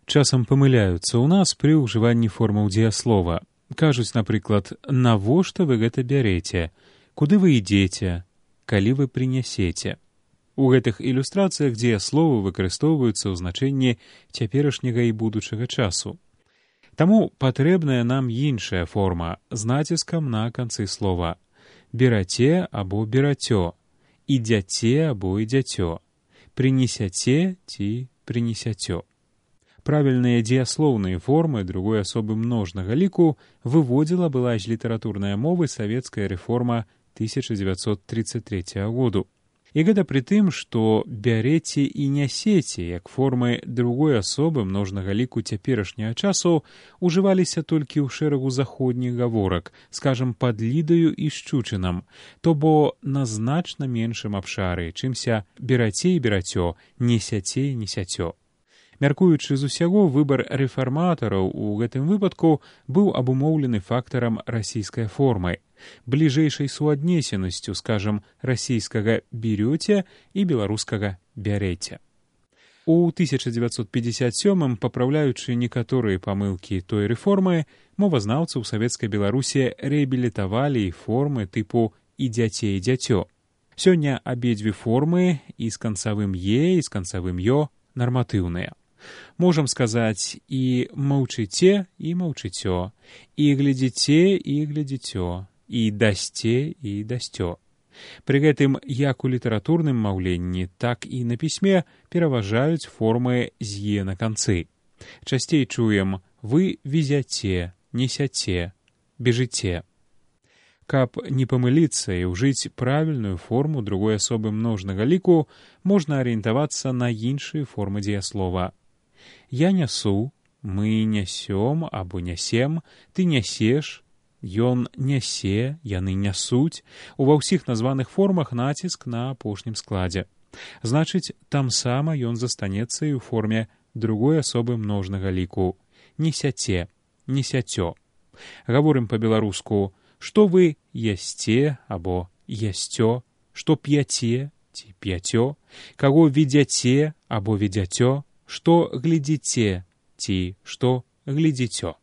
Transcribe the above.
часам памыляюцца ў нас пры ўжыванні формаў дзеяслова. Кажуць, напрыклад, навошта вы гэта бярэце, куды вы ідзеце, калі вы прынясеце. У гэтых ілюстрацыях дзеясловы выкарыстоўваюцца ў значэнні цяперашняга і будучага часу. Таму патрэбная нам іншая форма з націскам на канцы слова. Бераце або берацё, ідзяце або ідзяцё, прынесяце ці прынесяцё. Правільныя дзеяслоўныя формы другой асобы множнага ліку выводзіла была з літаратурнай мовы савецкая рэформа 1933 году. І гэта пры тым, што бярэце і нясеце, як формы другой асобы множнага ліку цяперашняга часу, ужываліся толькі ў шэрагу заходніх гаворак, скажам, пад лідаю і шчучынам, то бо на значна меншым абшары, чымся бераце і берацё, несяце і несяцё. Мяркуючы з усяго, выбар рэфарматараў у гэтым выпадку быў абумоўлены фактарам расійскай формы, бліжэйшай суаднесенасцю, скажам, расійскага «берёце» і беларускага «бярэце». У 1957-м, папраўляючы некаторыя памылкі той рэформы, мовазнаўцы ў савецкай Беларусі рэабілітавалі формы тыпу «ідзяце і дзяцё». Сёння абедзве формы і з канцавым «е», і з канцавым «ё» нарматыўныя. Можам сказаць і маўчыце, і маўчыцё, і глядзіце, і глядзіцё, і дасце, і дасцё. Пры гэтым як у літаратурным маўленні, так і на пісьме пераважаюць формы з «е» на канцы. Часцей чуем «вы везяце», «несяце», «бежыце». Каб не памыліцца і ўжыць правільную форму другой асобы множнага ліку, можна арыентавацца на іншыя формы дзеяслова. Я нясу, мы нясём або нясем, ты нясеш, ён нясе, яны нясуць. Ува ўсіх названых формах націск на апошнім складзе. Значыць, там сама ён застанецца і ў форме другой асобы множнага ліку. Несяце, несяцё. Гаворым па-беларуску, што вы ясце або ясцё, што п'яце ці п'яцё, каго ведзяце або ведзяцё, што глядзіце ці што глядзіцё.